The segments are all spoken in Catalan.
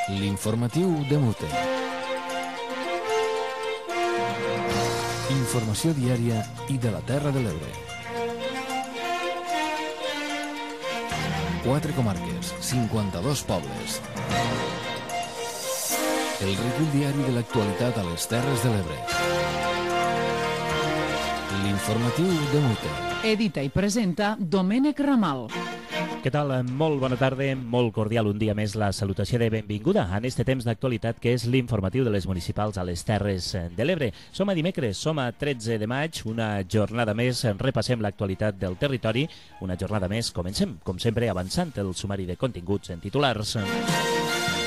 L'informatiu de Mute. Informació diària i de la Terra de l'Ebre. 4 comarques, 52 pobles. El recull diari de l'actualitat a les Terres de l'Ebre. L'informatiu de Mute. Edita i presenta Domènec Ramal. Què tal? Molt bona tarda, molt cordial un dia més la salutació de benvinguda en este temps d'actualitat que és l'informatiu de les municipals a les Terres de l'Ebre. Som a dimecres, som a 13 de maig, una jornada més, repassem l'actualitat del territori, una jornada més, comencem, com sempre, avançant el sumari de continguts en titulars.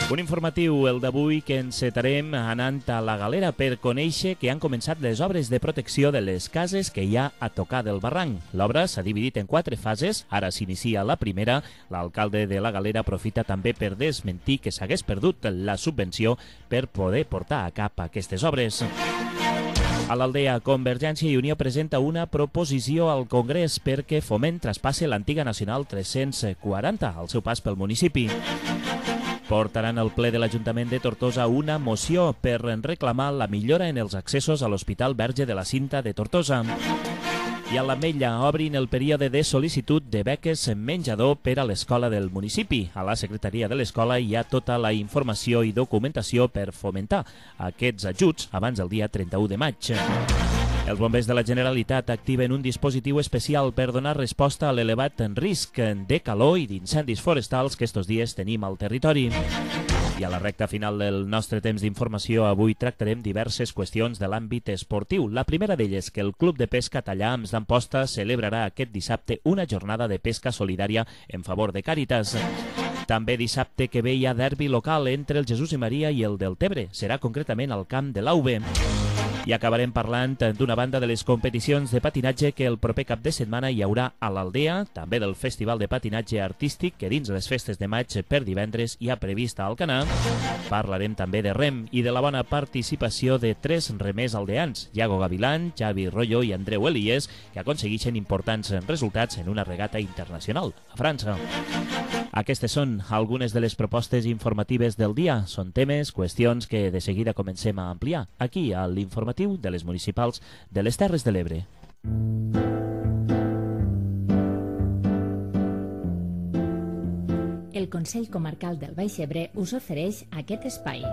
Un informatiu, el d'avui, que encetarem anant a la Galera per conèixer que han començat les obres de protecció de les cases que hi ha a tocar del barranc. L'obra s'ha dividit en 4 fases, ara s'inicia la primera. L'alcalde de la Galera aprofita també per desmentir que s'hagués perdut la subvenció per poder portar a cap aquestes obres. A l'Aldea, Convergència i Unió presenta una proposició al Congrés perquè Foment traspasse l'antiga Nacional 340 al seu pas pel municipi. Portaran al ple de l'Ajuntament de Tortosa una moció per reclamar la millora en els accessos a l'Hospital Verge de la Cinta de Tortosa. I a l'Ametlla obrin el període de sol·licitud de beques menjador per a l'escola del municipi. A la secretaria de l'escola hi ha tota la informació i documentació per fomentar aquests ajuts abans del dia 31 de maig. Els bombers de la Generalitat activen un dispositiu especial per donar resposta a l'elevat risc de calor i d'incendis forestals que estos dies tenim al territori. I a la recta final del nostre temps d'informació avui tractarem diverses qüestions de l'àmbit esportiu. La primera d'elles, que el Club de Pesca Tallams d'Amposta celebrarà aquest dissabte una jornada de pesca solidària en favor de Càritas. També dissabte que ve hi ha derbi local entre el Jesús i Maria i el del Tebre. Serà concretament al camp de l'Auve. I acabarem parlant d'una banda de les competicions de patinatge que el proper cap de setmana hi haurà a l'Aldea, també del Festival de Patinatge Artístic que dins les festes de maig per divendres hi ha prevista a Alcanar. Parlarem també de rem i de la bona participació de 3 remers aldeans, Iago Gavilán, Xavi Rollo i Andreu Elies, que aconsegueixen importants resultats en una regata internacional a França. Aquestes són algunes de les propostes informatives del dia. Són temes, qüestions que de seguida comencem a ampliar aquí a l'informatiu de les municipals de les Terres de l'Ebre. El Consell Comarcal del Baix Ebre us ofereix aquest espai.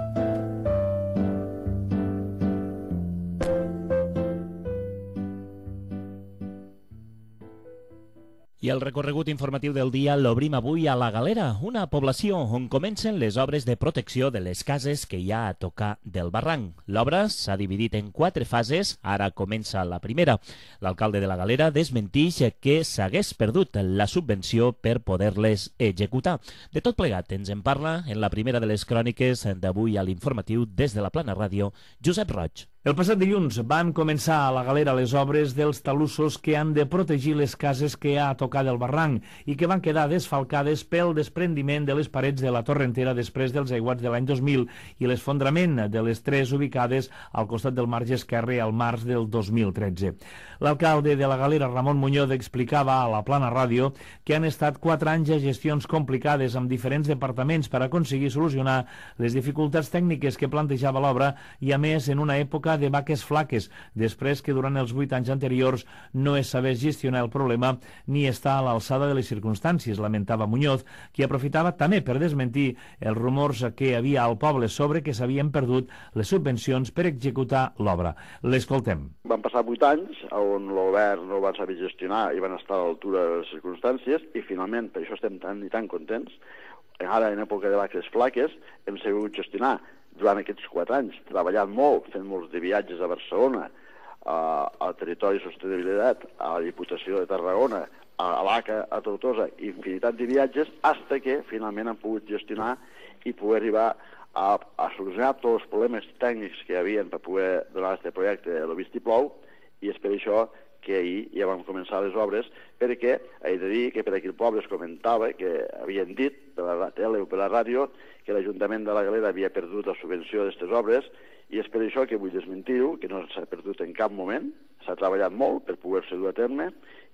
I el recorregut informatiu del dia l'obrim avui a la Galera, una població on comencen les obres de protecció de les cases que hi ha a tocar del barranc. L'obra s'ha dividit en 4 fases, ara comença la primera. L'alcalde de la Galera desmentix que s'hagués perdut la subvenció per poder-les executar. De tot plegat ens en parla en la primera de les cròniques d'avui a l'informatiu des de la Plana Ràdio, Josep Roig. El passat dilluns van començar a la Galera les obres dels talussos que han de protegir les cases que hi ha a tocar del barranc i que van quedar desfalcades pel desprendiment de les parets de la torrentera després dels aiguats de l'any 2000 i l'esfondrament de les 3 ubicades al costat del marge esquerre al març del 2013. L'alcalde de la Galera, Ramon Muñoz, explicava a la Plana Ràdio que han estat 4 anys de gestions complicades amb diferents departaments per aconseguir solucionar les dificultats tècniques que plantejava l'obra i, a més, en una època de vaques flaques, després que durant els 8 anys anteriors no es sabés gestionar el problema ni estar a l'alçada de les circumstàncies, lamentava Muñoz, qui aprofitava també per desmentir els rumors que hi havia al poble sobre que s'havien perdut les subvencions per executar l'obra. L'escoltem. Van passar 8 anys on el govern no van saber gestionar i van estar a l'altura de les circumstàncies i finalment, per això estem tan i tan contents, ara en època de vaques flaques hem sabut gestionar durant aquests 4 anys, treballant molt, fent molts de viatges a Barcelona, al Territori de Sostenibilitat, a la Diputació de Tarragona, a l'ACA, a Tortosa, infinitat de viatges, fins que finalment han pogut gestionar i poder arribar a solucionar tots els problemes tècnics que hi havia per poder donar aquest projecte de l'Obistiplou, i és per això que ahir ja vam començar les obres, perquè he de dir que per aquí el poble es comentava que havien dit per la tele o per la ràdio que l'Ajuntament de la Galera havia perdut la subvenció d'aquestes obres, i és per això que vull desmentir-ho, que no s'ha perdut en cap moment, s'ha treballat molt per poder-se dur a terme,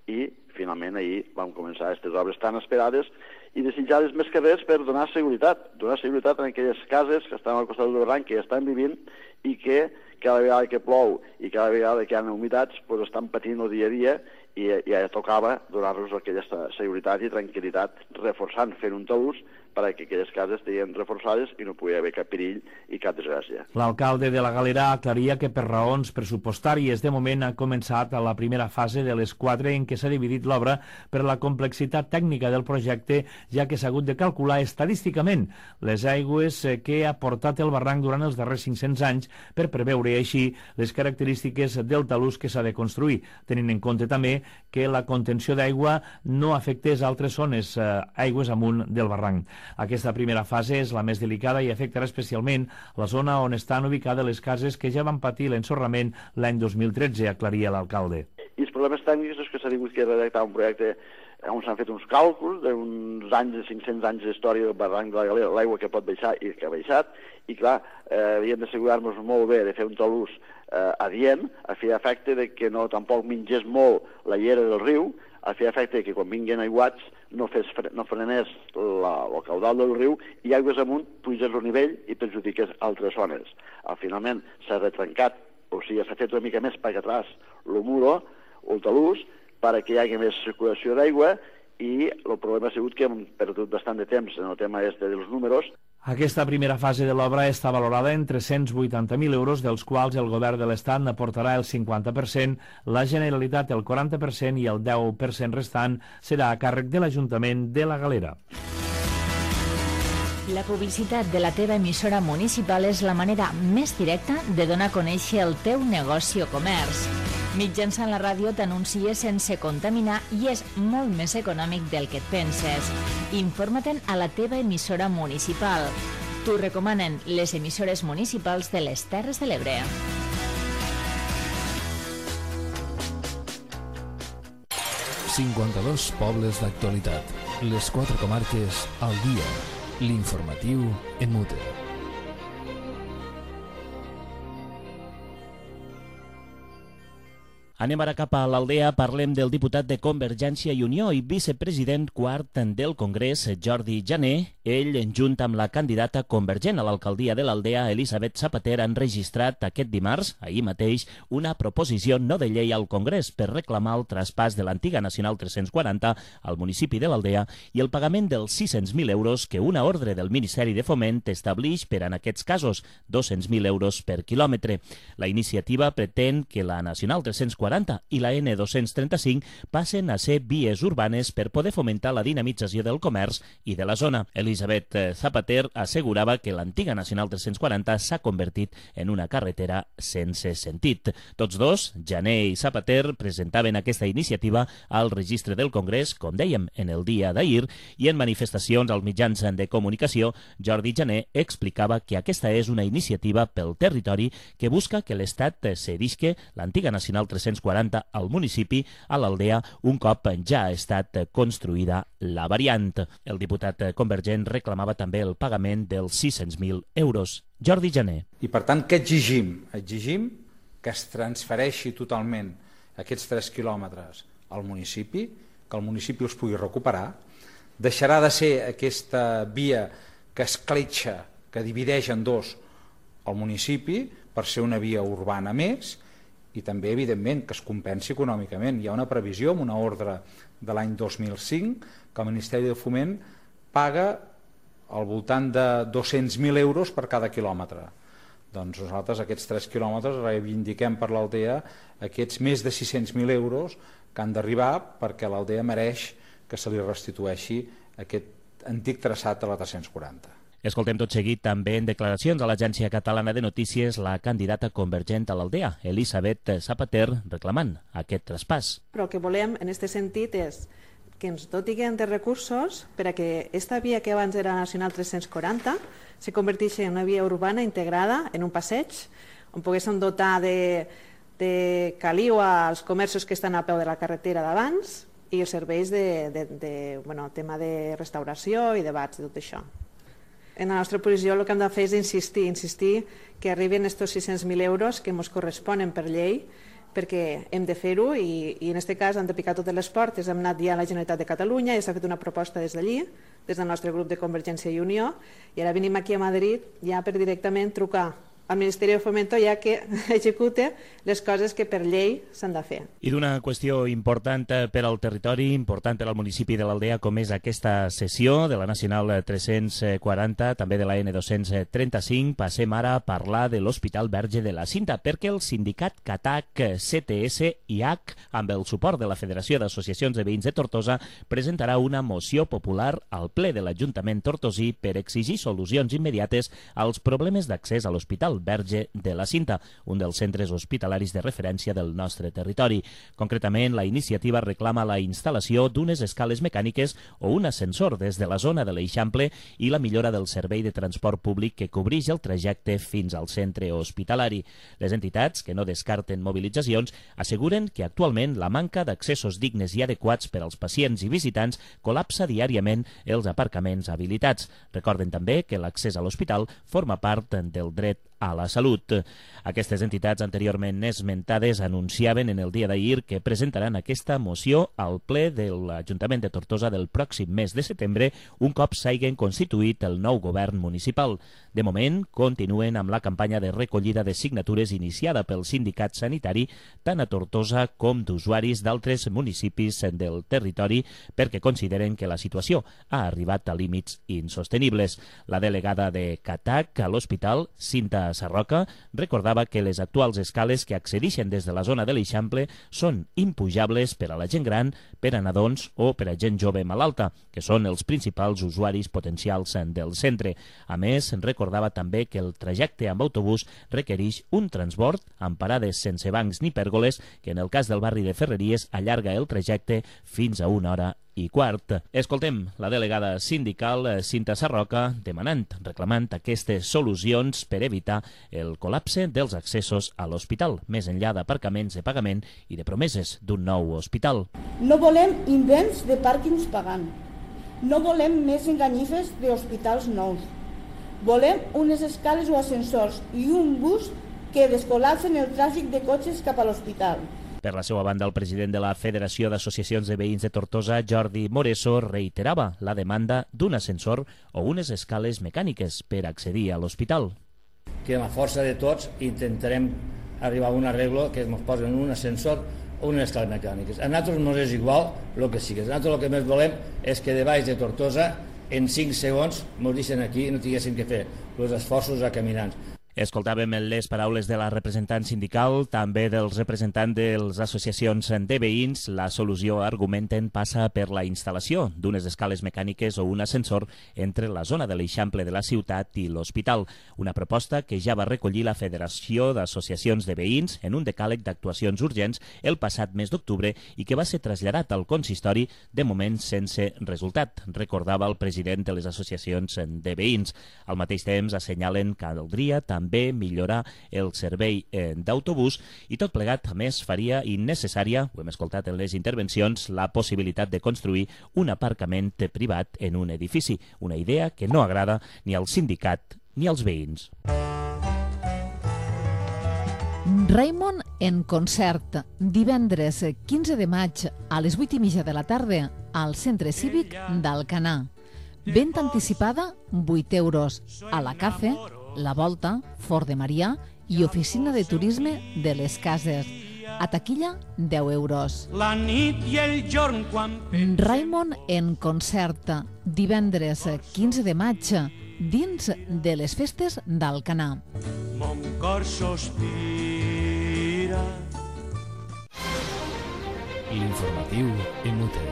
i finalment ahir vam començar aquestes obres tan esperades i desitjades més que res per donar seguretat en aquelles cases que estan al costat del barranc, que estan vivint i que cada vegada que plou i cada vegada que hi ha humitats doncs estan patint el dia a dia i ja tocava donar-los aquesta seguretat i tranquil·litat, reforçant, fent un talús perquè aquelles cases estiguin reforçades i no pugui haver cap perill i cap desgràcia. L'alcalde de la Galera aclaria que per raons pressupostàries de moment ha començat a la primera fase de les 4 en què s'ha dividit l'obra per la complexitat tècnica del projecte, ja que s'ha hagut de calcular estadísticament les aigües que ha portat el barranc durant els darrers 500 anys per preveure així les característiques del talús que s'ha de construir, tenint en compte també que la contenció d'aigua no afectés altres zones aigües amunt del barranc. Aquesta primera fase és la més delicada i afectarà especialment la zona on estan ubicades les cases que ja van patir l'ensorrament l'any 2013, aclaria l'alcalde. I els problemes tècnics és que s'ha tingut que redactar un projecte on s'han fet uns càlculs d'uns anys, de 500 anys d'història del barranc de la Galera, l'aigua que pot baixar i que ha baixat, i clar, havíem d'assegurar-nos molt bé de fer un talús adient, a fer efecte de que no tampoc mingés molt la llera del riu, a fer efecte que quan vinguin aiguats no frenés el caudal del riu i aigües amunt pugés el nivell i perjudiqués altres zones. Finalment s'ha retrencat, o sigui, s'ha fet una mica més per atrás el muro, el talús, perquè hi hagi més circulació d'aigua i el problema ha sigut que hem perdut bastant de temps en el tema dels números. Aquesta primera fase de l'obra està valorada en 380.000 euros, dels quals el govern de l'Estat n'aportarà el 50%, la Generalitat el 40% i el 10% restant serà a càrrec de l'Ajuntament de la Galera. La publicitat de la teva emissora municipal és la manera més directa de donar a conèixer el teu negoci o comerç. Mitjançant la ràdio t'anuncies sense contaminar i és molt més econòmic del que et penses. Informa-te'n a la teva emissora municipal. T'ho recomanen les emissores municipals de les Terres de l'Ebre. ...52 pobles d'actualitat. Les 4 comarques al dia. L'informatiu en mute. Anem ara cap a l'Aldea, parlem del diputat de Convergència i Unió i vicepresident quart del Congrés, Jordi Jané. Ell, junt amb la candidata convergent a l'alcaldia de l'Aldea, Elisabet Zapater, han registrat aquest dimarts, ahir mateix, una proposició no de llei al Congrés per reclamar el traspàs de l'antiga Nacional 340 al municipi de l'Aldea i el pagament dels 600.000 euros que una ordre del Ministeri de Foment establix per en aquests casos, 200.000 euros per quilòmetre. La iniciativa pretén que la Nacional 340 i la N235 passen a ser vies urbanes per poder fomentar la dinamització del comerç i de la zona. Elisabet Zapater assegurava que l'antiga Nacional 340 s'ha convertit en una carretera sense sentit. Tots dos, Jané i Zapater, presentaven aquesta iniciativa al registre del Congrés, com dèiem, en el dia d'ahir, i en manifestacions als mitjans de comunicació, Jordi Jané explicava que aquesta és una iniciativa pel territori que busca que l'Estat cedisca l'antiga Nacional 340 al municipi, a l'Aldea, un cop ja ha estat construïda la variant. El diputat convergent reclamava també el pagament dels 600.000 euros. Jordi Jané. I per tant, què exigim? Exigim que es transfereixi totalment aquests 3 quilòmetres al municipi, que el municipi els pugui recuperar. Deixarà de ser aquesta via que escletxa, que divideix en dos el municipi, per ser una via urbana més, i també, evidentment, que es compensi econòmicament. Hi ha una previsió, amb una ordre de l'any 2005, que el Ministeri de Foment paga al voltant de 200.000 euros per cada quilòmetre. Doncs nosaltres aquests 3 quilòmetres reivindiquem per l'Aldea aquests més de 600.000 euros que han d'arribar perquè l'Aldea mereix que se li restitueixi aquest antic traçat de la 340. Escoltem tot seguit també en declaracions a l'Agència Catalana de Notícies la candidata convergent a l'Aldea, Elisabet Zapater, reclamant aquest traspàs. Però el que volem en aquest sentit és que ens dotin de recursos per a que aquesta via que abans era Nacional 340 se converteixi en una via urbana integrada en un passeig on poguéssim dotar de caliu als comerços que estan a peu de la carretera d'abans i els serveis tema de restauració i de bars i tot això. En la nostra posició el que hem de fer és insistir que arriben aquests 600.000 euros que ens corresponen per llei perquè hem de fer-ho i en aquest cas han de picar totes les portes. Hem anat ja a la Generalitat de Catalunya i s'ha fet una proposta des d'allí, des del nostre grup de Convergència i Unió, i ara venim aquí a Madrid ja per directament trucar al Ministeri de Fomento ja que execute les coses que per llei s'han de fer. I d'una qüestió important per al territori, important per al municipi de l'Aldea, com és aquesta sessió de la Nacional 340, també de la N235, passem ara a parlar de l'Hospital Verge de la Cinta, perquè el sindicat CATAC, CTS i H, amb el suport de la Federació d'Associacions de Veïns de Tortosa, presentarà una moció popular al ple de l'Ajuntament tortosí per exigir solucions immediates als problemes d'accés a l'Hospital Verge de la Cinta, un dels centres hospitalaris de referència del nostre territori. Concretament, la iniciativa reclama la instal·lació d'unes escales mecàniques o un ascensor des de la zona de l'Eixample i la millora del servei de transport públic que cobreix el trajecte fins al centre hospitalari. Les entitats, que no descarten mobilitzacions, asseguren que actualment la manca d'accessos dignes i adequats per als pacients i visitants col·lapsa diàriament els aparcaments habilitats. Recorden també que l'accés a l'hospital forma part del dret a la salut. Aquestes entitats anteriorment esmentades anunciaven en el dia d'ahir que presentaran aquesta moció al ple de l'Ajuntament de Tortosa del pròxim mes de setembre, un cop s'hagin constituït el nou govern municipal. De moment, continuen amb la campanya de recollida de signatures iniciada pel sindicat sanitari tant a Tortosa com d'usuaris d'altres municipis del territori perquè consideren que la situació ha arribat a límits insostenibles. La delegada de CATAC a l'hospital, Cinta Sarroca, recordava que les actuals escales que accedeixen des de la zona de l'Eixample són impujables per a la gent gran, per a nadons o per a gent jove malalta, que són els principals usuaris potencials del centre. A més, recordava també que el trajecte amb autobús requereix un transbord amb parades sense bancs ni pèrgoles, que en el cas del barri de Ferreries allarga el trajecte fins a 1h15. Escoltem la delegada sindical Cinta Sarroca demanant, reclamant aquestes solucions per evitar el col·lapse dels accessos a l'hospital, més enllà d'aparcaments de pagament i de promeses d'un nou hospital. No volem invents de pàrquings pagant. No volem més enganyifes d'hospitals nous. Volem unes escales o ascensors i un bus que descol·lapsen el tràfic de cotxes cap a l'hospital. Per la seva banda, el president de la Federació d'Associacions de Veïns de Tortosa, Jordi Moreso, reiterava la demanda d'un ascensor o unes escales mecàniques per accedir a l'hospital. Que amb la força de tots intentarem arribar a un arreglo que ens posen un ascensor o unes escales mecàniques. A nosaltres no és igual el que sigui. A nosaltres el que més volem és que de baix de Tortosa en 5 segons ens deixen aquí i no tinguéssim que fer els esforços a caminants. Escoltàvem les paraules de la representant sindical, també dels representants de les associacions de veïns. La solució, argumenten, passa per la instal·lació d'unes escales mecàniques o un ascensor entre la zona de l'Eixample de la ciutat i l'hospital. Una proposta que ja va recollir la Federació d'Associacions de Veïns en un decàleg d'actuacions urgents el passat mes d'octubre i que va ser traslladat al consistori, de moment sense resultat, recordava el president de les associacions de veïns. Al mateix temps assenyalen que caldria també millorar el servei d'autobús i tot plegat, a més, faria innecessària, ho hem escoltat en les intervencions, la possibilitat de construir un aparcament privat en un edifici, una idea que no agrada ni al sindicat ni als veïns. Raimon en concert, divendres 15 de maig a les 8:30 de la tarda al Centre Cívic d'Alcanar. Venda anticipada, 8 euros. A la Cafe, La Volta, Fort de Marià i Oficina de Turisme de les Cases. A taquilla, 10 euros. La nit i el jorn quan... Raimon en concert, divendres 15 de maig, dins de les festes d'Alcanar. Mon cor sospira. L'informatiu en UTE.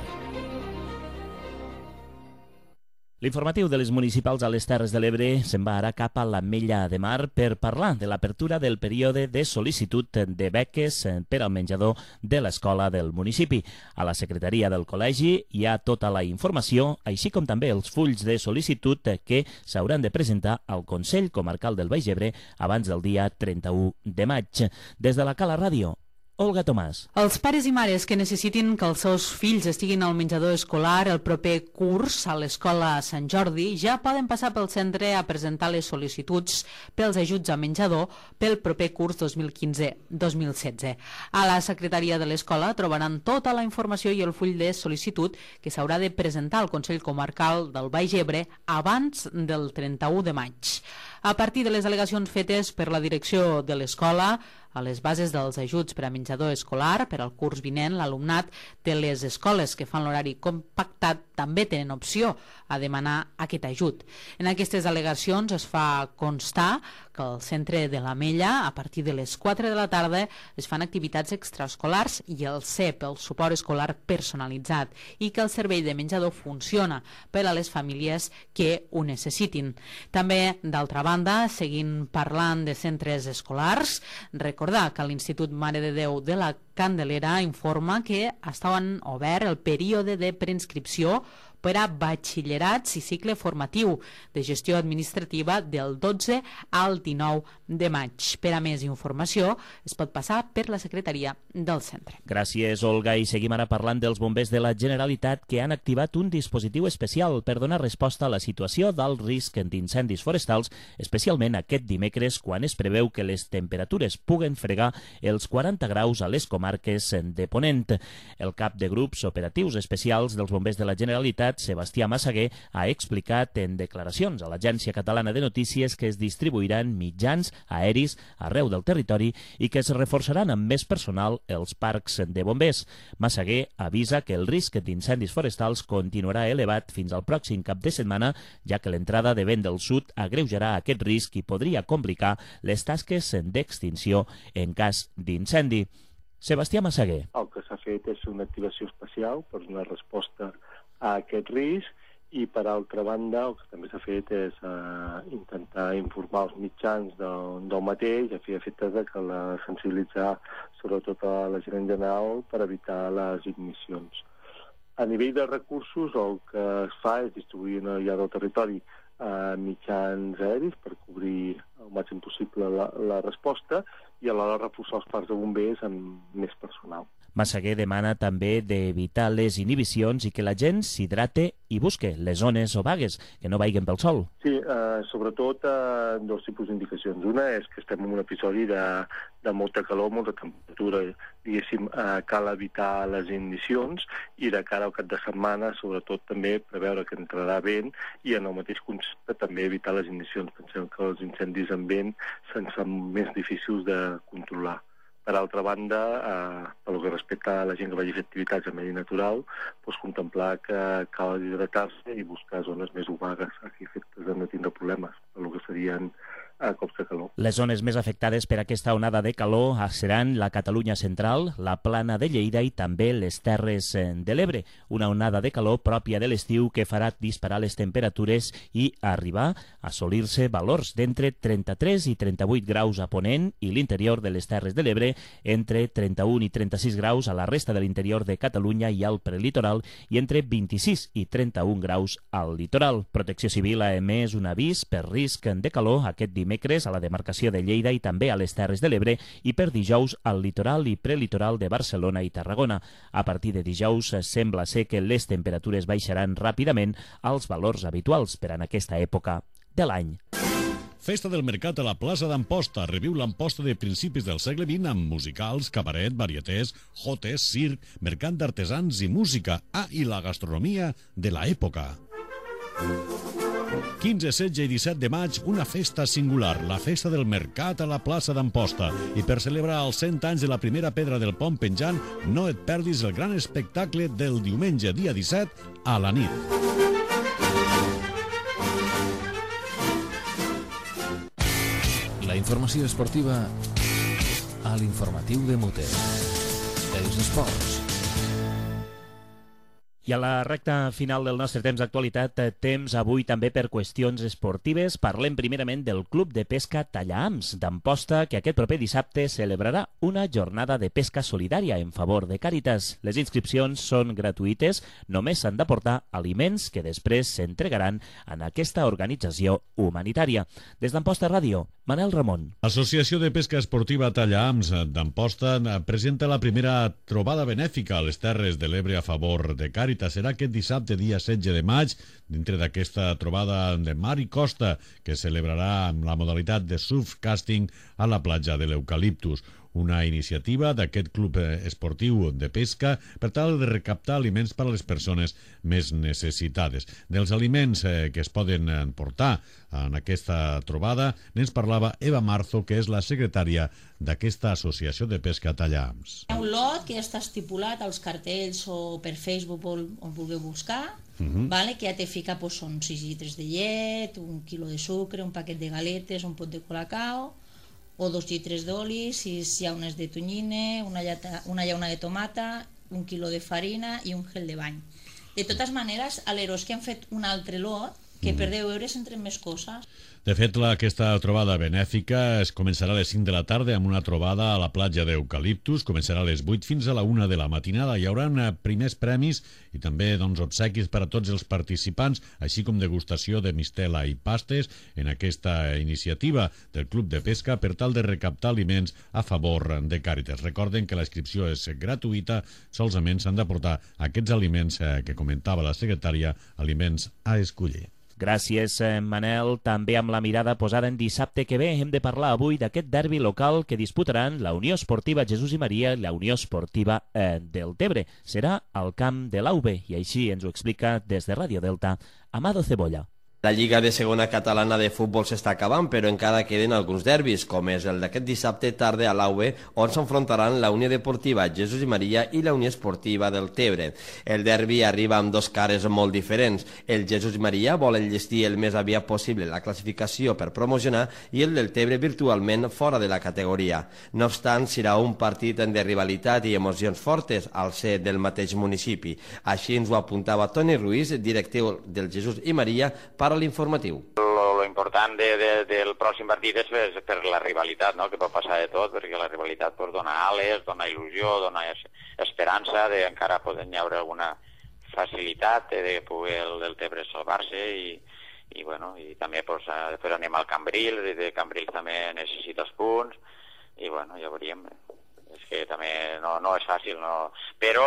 L'informatiu de les municipals a les Terres de l'Ebre se'n va ara cap a l'Ametlla de Mar per parlar de l'apertura del període de sol·licitud de beques per al menjador de l'escola del municipi. A la secretaria del col·legi hi ha tota la informació, així com també els fulls de sol·licitud que s'hauran de presentar al Consell Comarcal del Baix Ebre abans del dia 31 de maig. Des de la Cala Ràdio, Olga Tomàs. Els pares i mares que necessitin que els seus fills estiguin al menjador escolar el proper curs a l'Escola Sant Jordi ja poden passar pel centre a presentar les sol·licituds pels ajuts a menjador pel proper curs 2015-2016. A la secretaria de l'escola trobaran tota la informació i el full de sol·licitud que s'haurà de presentar al Consell Comarcal del Baix Ebre abans del 31 de maig. A partir de les al·legacions fetes per la direcció de l'escola, a les bases dels ajuts per a menjador escolar per al curs vinent, l'alumnat de les escoles que fan l'horari compactat també tenen opció a demanar aquest ajut. En aquestes al·legacions es fa constar que al centre de l'Ametlla, a partir de les 4 de la tarda, es fan activitats extraescolars i el CEP, el suport escolar personalitzat, i que el servei de menjador funciona per a les famílies que ho necessitin. També, d'altra banda, seguint parlant de centres escolars, recordar que l'Institut Mare de Déu de la Candelera informa que estaven obert el període de preinscripció per a batxillerats i cicle formatiu de gestió administrativa del 12 al 19 de maig. Per a més informació es pot passar per la secretaria del centre. Gràcies, Olga. I seguim ara parlant dels bombers de la Generalitat que han activat un dispositiu especial per donar resposta a la situació d'alt risc d'incendis forestals, especialment aquest dimecres, quan es preveu que les temperatures puguen fregar els 40 graus a les comarques de Ponent. El cap de grups operatius especials dels bombers de la Generalitat, Sebastià Massaguer, ha explicat en declaracions a l'Agència Catalana de Notícies que es distribuiran mitjans aeris arreu del territori i que es reforçaran amb més personal els parcs de bombers. Massaguer avisa que el risc d'incendis forestals continuarà elevat fins al pròxim cap de setmana, ja que l'entrada de vent del sud agreujarà aquest risc i podria complicar les tasques d'extinció en cas d'incendi. Sebastià Massaguer. El que s'ha fet és una activació especial per donar resposta a aquest risc i, per altra banda, el que també s'ha fet és intentar informar els mitjans del mateix a fi i efectes de que sensibilitzar sobretot a la gent en general per evitar les ignicions. A nivell de recursos, el que es fa és distribuir allà del territori mitjans aeris per cobrir el màxim possible la resposta i alhora reforçar els parcs de bombers amb més personal. Massaguer demana també d'evitar les inhibicions i que la gent s'hidrate i busque les zones o vagues, que no vaiguen pel sol. Sí, sobretot dos tipus d'indicacions. Una és que estem en un episodi de molta calor, molta temperatura. Diguéssim, cal evitar les ignicions i de cara al cap de setmana, sobretot també preveure que entrarà vent i en el mateix concepte també evitar les ignicions. Pensem que els incendis amb vent se'n fan més difícils de controlar. Per altra banda, pel que respecta a la gent que vagi a fer activitats en medi natural, contemplar que cal hidratar-se i buscar zones més obagues a efectes de no tindre problemes, pel que serien cops de calor. Les zones més afectades per aquesta onada de calor seran la Catalunya central, la Plana de Lleida i també les Terres de l'Ebre. Una onada de calor pròpia de l'estiu que farà disparar les temperatures i arribar a assolir-se valors d'entre 33 i 38 graus a Ponent i l'interior de les Terres de l'Ebre, entre 31 i 36 graus a la resta de l'interior de Catalunya i al prelitoral i entre 26 i 31 graus al litoral. Protecció Civil ha emès un avís per risc de calor aquest dimecres a la demarcació de Lleida i també a les Terres de l'Ebre i per dijous al litoral i prelitoral de Barcelona i Tarragona. A partir de dijous sembla ser que les temperatures baixaran ràpidament als valors habituals per en aquesta època de l'any. Festa del Mercat a la plaça d'Amposta. Reviu l'Amposta de principis del segle XX amb musicals, cabaret, varietés, jotes, circ, mercat d'artesans i música. I la gastronomia de l'època. 15, 16 i 17 de maig, una festa singular, la Festa del Mercat a la plaça d'Amposta. I per celebrar els 100 anys de la primera pedra del pont penjant, no et perdis el gran espectacle del diumenge, dia 17, a la nit. La informació esportiva a l'informatiu de Muter. Els esports. I a la recta final del nostre temps d'actualitat, temps avui també per qüestions esportives. Parlem primerament del Club de Pesca Tallaams d'Amposta, que aquest proper dissabte celebrarà una jornada de pesca solidària en favor de Càritas. Les inscripcions són gratuïtes, només s'han d'aportar aliments que després s'entregaran en aquesta organització humanitària. Des d'Amposta Ràdio, Manel Ramon. L'Associació de Pesca Esportiva Tallaams d'Amposta presenta la primera trobada benèfica a les Terres de l'Ebre a favor de Càritas. Serà aquest dissabte, dia 16 de maig, dintre d'aquesta trobada de mar i costa, que es celebrarà amb la modalitat de surfcasting a la platja de l'Eucaliptus. Una iniciativa d'aquest club esportiu de pesca per tal de recaptar aliments per a les persones més necessitades. Dels aliments que es poden portar en aquesta trobada n'ens parlava Eva Marzo, que és la secretària d'aquesta associació de pesca Tallaams. Hi ha un lot que ja està estipulat als cartells o per Facebook on vulgueu buscar, vale? Que ja te fica, són 6 litres de llet, 1 quilo de sucre, un paquet de galetes, un pot de colacao, o 2 litres d'oli, 6 llaunes de tonyina, una llauna de tomata, 1 quilo de farina i un gel de bany. De totes maneres, a l'Eros que han fet un altre lot, que per 10 euros entren més coses. De fet, aquesta trobada benèfica es començarà a les 5 de la tarda amb una trobada a la platja d'Eucaliptus. Començarà a les 8 fins a la 1 de la matinada. Hi haurà primers premis i també obsequis per a tots els participants, així com degustació de mistela i pastes en aquesta iniciativa del Club de Pesca per tal de recaptar aliments a favor de Càritas. Recorden que la inscripció és gratuïta, solament s'han d'aportar aquests aliments que comentava la secretària, aliments a escollir. Gràcies, Manel. També amb la mirada posada en dissabte que ve hem de parlar avui d'aquest derbi local que disputaran la Unió Esportiva Jesús i Maria i la Unió Esportiva del Tebre. Serà al camp de l'AUB i així ens ho explica des de Ràdio Delta Amado Cebolla. La Lliga de Segona Catalana de Futbol s'està acabant, però encara queden alguns derbis, com és el d'aquest dissabte tarda a l'AUE, on s'enfrontaran la Unió Deportiva Jesús i Maria i la Unió Esportiva del Tebre. El derbi arriba amb dos cares molt diferents. El Jesús i Maria vol enllestir el més aviat possible la classificació per promocionar i el del Tebre virtualment fora de la categoria. No obstant, serà un partit de rivalitat i emocions fortes al ser del mateix municipi. Així ens ho apuntava Toni Ruiz, directiu del Jesús i Maria, per a l'informatiu. Lo important del pròxim partit és per la rivalitat, no? Que pot passar de tot, perquè la rivalitat dona ales, dona il·lusió, dona esperança d'encara poder hi haure alguna facilitat de poder el Tebre salvar-se i també després anem al Cambrils, i de Cambrils també necessita els punts i ja veuríem. És que també no és fàcil, però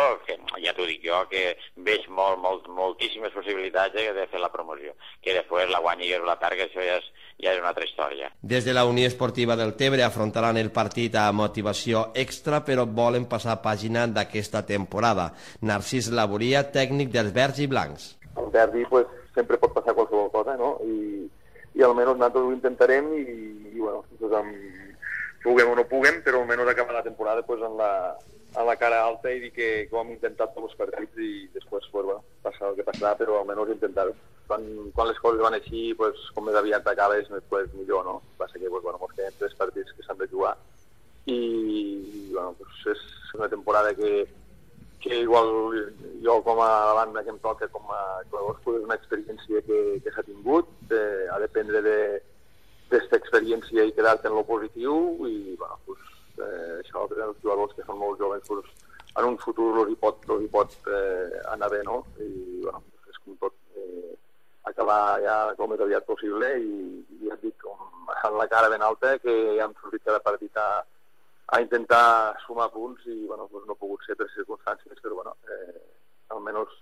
ja t'ho dic jo, que veig moltíssimes possibilitats de fer la promoció. Que després la guanyi o la perdi, això ja és una altra història. Des de la Unió Esportiva del Tebre afrontaran el partit a motivació extra, però volen passar pàgina d'aquesta temporada. Narcís Laboria, tècnic dels verds i blancs. El derbi sempre pot passar qualsevol cosa, no? I almenys nosaltres ho intentarem i puguem o no puguem, però almenys acabar la temporada en la cara alta i dir que ho hem intentat tots els partits i després passar el que passarà, però almenys intentar-ho. Quan les coses van així, com més aviat acabes, millor, no? Passa que ens queden 3 partits que s'han de jugar i és una temporada que igual jo com a banda que em toca com a jugadors és una experiència que s'ha tingut, ha de dependre d'aquesta experiència i quedar-te en lo positiu i això per als jugadors que són molt joves en un futur els hi pot anar bé, no? I és com tot acabar ja com més aviat possible i ja et dic, amb la cara ben alta que ja hem sortit cada partit a intentar sumar punts i no ha pogut ser per circumstàncies, però almenys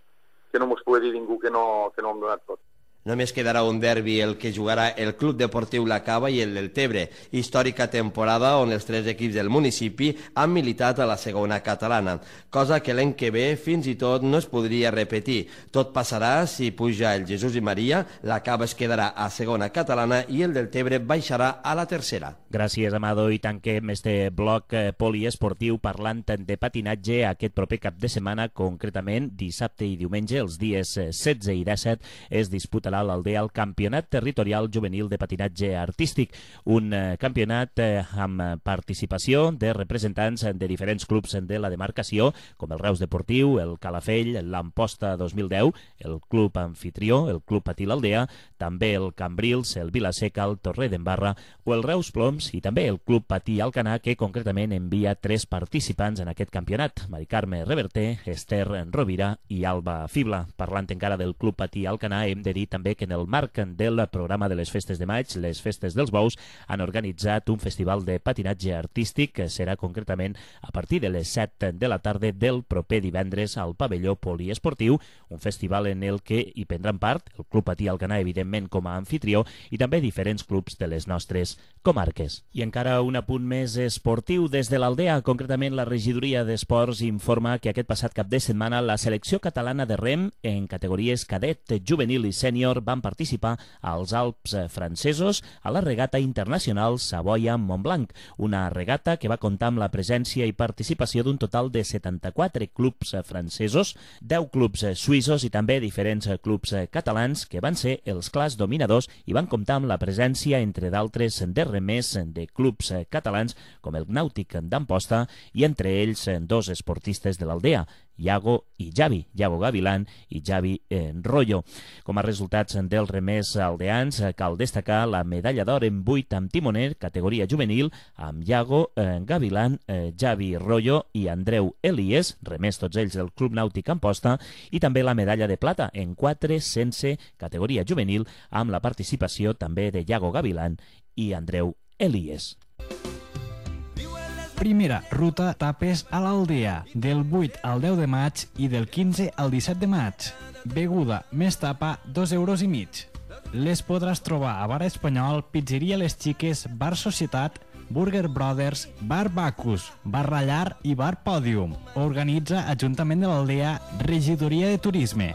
que no mos pugui dir ningú que no hem donat tot. Només quedarà un derbi el que jugarà el Club Deportiu La Cava i el del Tebre, històrica temporada on els 3 equips del municipi han militat a la segona catalana, cosa que l'any que ve fins i tot no es podria repetir. Tot passarà si puja el Jesús i Maria, La Cava es quedarà a segona catalana i el del Tebre baixarà a la tercera. Gràcies, Amado, i tanquem este bloc poliesportiu parlant de patinatge aquest proper cap de setmana, concretament dissabte i diumenge, els dies 16 i 17, es disputa disputarà l'Aldea el Campionat Territorial Juvenil de Patinatge Artístic, un campionat amb participació de representants de diferents clubs de la demarcació, com el Reus Deportiu, el Calafell, l'Amposta 2010, el Club Anfitrió, el Club Patí l'Aldea, també el Cambrils, el Vilaseca, el Torrer d'Embarra o el Reus Ploms i també el Club Patí Alcanar, que concretament envia 3 participants en aquest campionat: Mari Carme Reverter, Esther Rovira i Alba Fibla. Parlant encara del Club Patí Alcanar, hem de dir també que en el marc del programa de les Festes de Maig, les Festes dels Bous, han organitzat un festival de patinatge artístic que serà concretament a partir de les 7 de la tarda del proper divendres al pavelló poliesportiu, un festival en el que hi prendran part el Club Patí Alcanar, evidentment, com a anfitrió, i també diferents clubs de les nostres comarques. I encara un apunt més esportiu des de l'Aldea. Concretament, la regidoria d'Esports informa que aquest passat cap de setmana la selecció catalana de rem en categories cadet, juvenil i sènior van participar als Alps francesos a la regata internacional Savoia-Montblanc, una regata que va comptar amb la presència i participació d'un total de 74 clubs francesos, 10 clubs suïssos i també diferents clubs catalans que van ser els clars dominadors i van comptar amb la presència, entre d'altres, de remers de clubs catalans com el Nàutic d'Amposta i entre ells 2 esportistes de l'Aldea, Iago i Javi, Iago Gavilán i Javi Rollo. Com a resultats dels remers aldeans, cal destacar la medalla d'or en 8 amb timoner, categoria juvenil, amb Iago Gavilán, Javi Rollo i Andreu Elies, remers tots ells del Club Nàutic Amposta, i també la medalla de plata en 4 sense, categoria juvenil, amb la participació també de Iago Gavilán i Andreu Elies. Primera ruta tapes a l'Aldea, del 8 al 10 de maig i del 15 al 17 de maig. Beguda més tapa, 2,5 euros. Les podràs trobar a Bar Espanyol, Pizzeria Les Xiques, Bar Societat, Burger Brothers, Bar Bacus, Bar Rallar i Bar Pòdium. Organitza Ajuntament de l'Aldea, Regidoria de Turisme.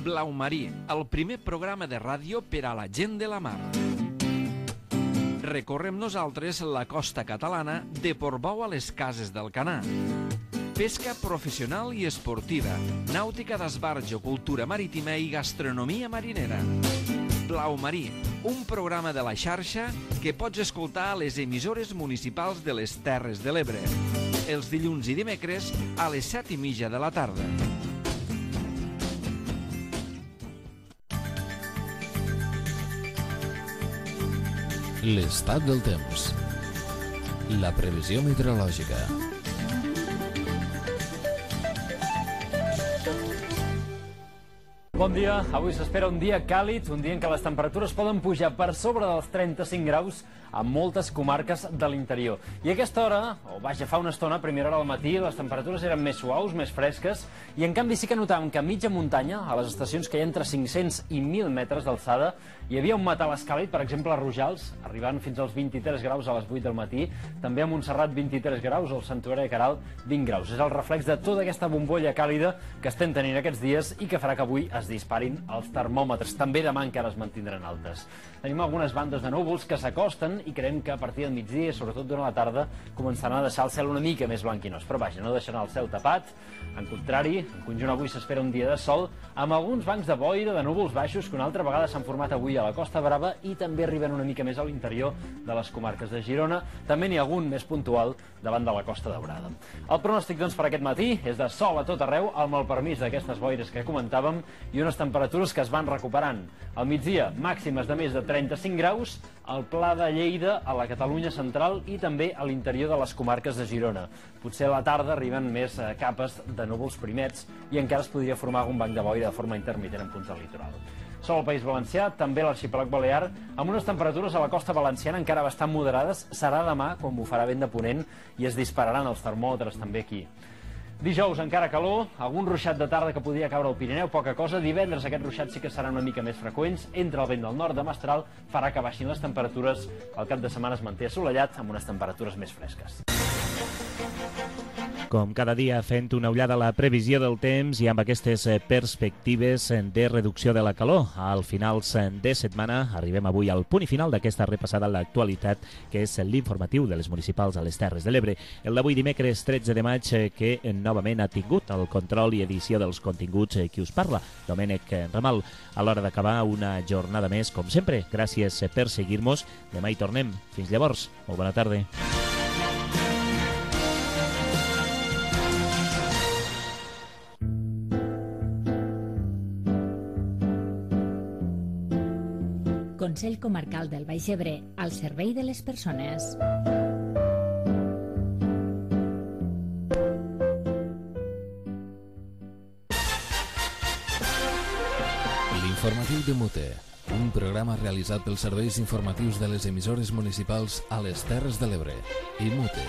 Blau Marí, el primer programa de ràdio per a la gent de la mar. Recorrem nosaltres la costa catalana de Portbou a les Cases d'Alcanar. Pesca professional i esportiva, nàutica d'esbarjo, cultura marítima i gastronomia marinera. Blau Marí, un programa de la xarxa que pots escoltar a les emissores municipals de les Terres de l'Ebre. Els dilluns i dimecres a les 7:30 de la tarda. L'estat del temps. La previsió meteorològica. Bon dia. Avui s'espera un dia càlid, un dia en què les temperatures poden pujar per sobre dels 35 graus a moltes comarques de l'interior. I a aquesta hora, o vaja, fa una estona, a primera hora del matí, les temperatures eren més suaus, més fresques, i en canvi sí que notàvem que a mitja muntanya, a les estacions que hi ha entre 500 i 1.000 metres d'alçada, hi havia un matà escàlid, per exemple a Rojals, arribant fins als 23 graus a les 8 del matí, també a Montserrat 23 graus, o al Santuari de Queralt 20 graus. És el reflex de tota aquesta bombolla càlida que estem tenint aquests dies i que farà que avui es disparin els termòmetres. També demà encara es mantindran altes. Tenim algunes bandes de núvols que s'acosten i creiem que a partir del migdia, sobretot durant la tarda, començaran a deixar el cel una mica més blanquinós. Però vaja, no deixaran el cel tapat. En contrari, en conjunt avui s'espera un dia de sol, amb alguns bancs de boira, de núvols baixos, que una altra vegada s'han format avui a la Costa Brava i també arriben una mica més a l'interior de les comarques de Girona. També n'hi ha algun més puntual davant de la Costa Daurada. El pronòstic, doncs, per aquest matí és de sol a tot arreu, amb el permís d'aquestes boires que comentàvem, i unes temperatures que es van recuperant. Al migdia, màximes de més de 35 graus, al Pla de Lleida, a la Catalunya central i també a l'interior de les comarques de Girona. Potser a la tarda arriben més capes de núvols primets i encara es podria formar algun banc de boira de forma intermitent en punts del litoral. Sol al País Valencià, també l'arxipèlag balear, amb unes temperatures a la costa valenciana encara bastant moderades. Serà demà, quan bufarà vent de ponent, i es dispararan els termòmetres també aquí. Dijous encara calor, algun ruixat de tarda que podria caure al Pirineu, poca cosa. Divendres aquests ruixats sí que seran una mica més freqüents. Entre el vent del nord de Mestral farà que baixin les temperatures. El cap de setmana es manté assolellat amb unes temperatures més fresques. Com cada dia fent una ullada a la previsió del temps i amb aquestes perspectives de reducció de la calor. Al finals de setmana arribem avui al punt i final d'aquesta repassada a l'actualitat, que és l'informatiu de les municipals a les Terres de l'Ebre. El d'avui dimecres 13 de maig, que novament ha tingut el control i edició dels continguts qui us parla, Domènec Ramal. A l'hora d'acabar una jornada més, com sempre, gràcies per seguir-nos. Demà hi tornem. Fins llavors, molt bona tarda. Consell Comarcal del Baix Ebre, al servei de les persones. L'informatiu de Mute, un programa realitzat pels serveis informatius de les emissores municipals a les Terres de l'Ebre i Mute.